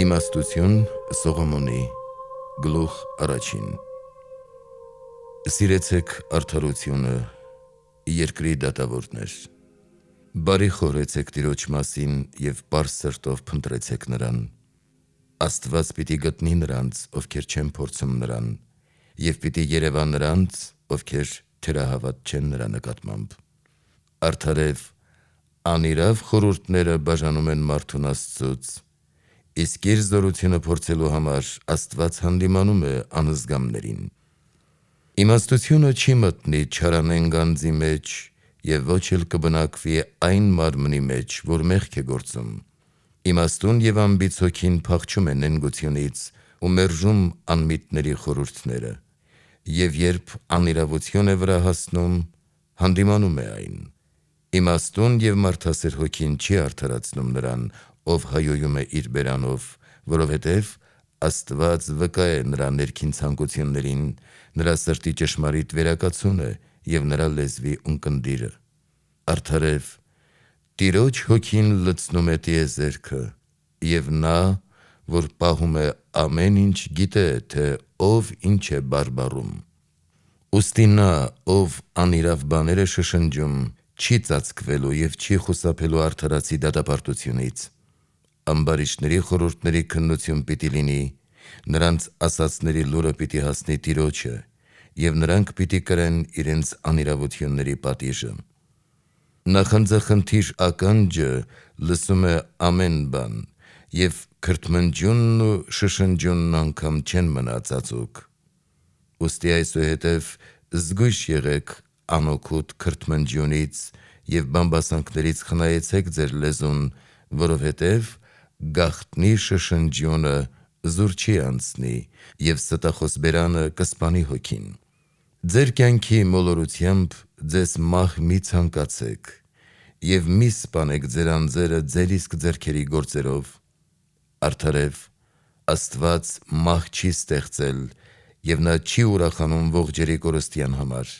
Իմաստություն Սողոմոնի գլուխ առաջին Սիրեցեք արդարությունը, երկրի դատավորներ, բարի խորհեցեք Տիրոջ մասին և պարզ սրտով փնտրեցեք նրան, Աստված պիտի գտնի նրանց, ովքեր չեն փորձում նրան, և պիտի երևա նրանց, ովքեր թերահավատ չեն նրա նկատմամբ, արդարև, անիրավ խորհուրդները բաժանում են մարդուն Աստծուց, իսկ իր զորությունը փորձելու համար Աստված հանդիմանում է անզգամներին։ Իմաստությունը չի մտնի չարանեն գանձի մեջ և ոչ էլ կբնակվի այն մարմնի մեջ, որ մեղք է գործում։ Իմաստուն և անբիծ հոգին փախչում է նենգությունից ու մերժում անմիտների խորհուրդները, և երբ անիրավություն է վրա հասնում, հանդիմանում է այն։ Իմաստուն և մարդասեր հոգին չի արդարացնում նրան, ով հայոյում է իր բերանով, որովհետև Աստված վկա է նրա ներքին ցանկություններին, նրա սրտի ճշմարիտ վերակացուն է և նրա լեզվի ունկնդիրը։ Արդարև, Տիրոջ հոգին լցնում է տիեզերքը, և նա, որ պահում է ամեն ինչ, գիտե, թե ով ինչ է բարբառում։ Ուստի նա, ով անիրավ բաներ է շշնջում, չի ծածկվելու և չի խուսափելու արդարացի դատապարտությունից։ Ամբարիշտների խորհուրդների քննություն պիտի լինի, նրանց ասացների լուրը պիտի հասնի Տիրոջը, և նրանք պիտի կրեն իրենց անիրավությունների պատիժը։ Նախանձախնդիր ականջը լսում է ամեն բան, և քրթմնջյունն ու շշնջյունն անգամ չեն մնա ծածուկ։ Ուստի այսուհետև զգույշ եղեք անօգուտ քրթմնջյունից և բամբասանքներից խնայեցեք ձեր լեզուն, որովհետև գաղտնի շշնջյունը զուր չի անցնի, և ստախոս բերանը կսպանի հոգին։ Ձեր կյանքի մոլորությամբ ձեզ մահ մի ցանկացեք, և մի սպանեք ձեր անձերը ձեր իսկ ձեռքերի գործերով։ Արդարև, Աստված մահ չի ստեղծել, և նա չի ուրախանում ողջերի կորստյան համար։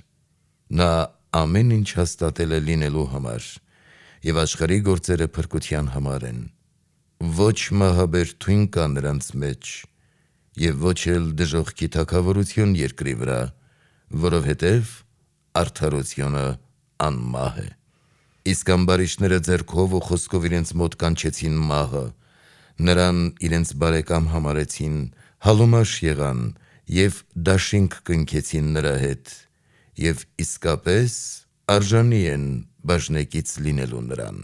Նա ամեն ինչ հաստատել է լինելու համար, և աշխարհի գործերը փրկության համար են։ Ոչ մահաբեր թույն կա նրանց մեջ, և ոչ էլ դժոխքի թագավորություն երկրի վրա, որովհետև արդարությունը անմահ է։ Իսկ ամբարիշտները ձեռքով ու խոսքով իրենց մոտ կանչեցին մահը, նրան իրենց բարեկամ համարեցին, հալումաշ եղան և դաշինք կնքեցին նրա հետ, և իսկապես արժանի են բաժնեկից լինելու նրան։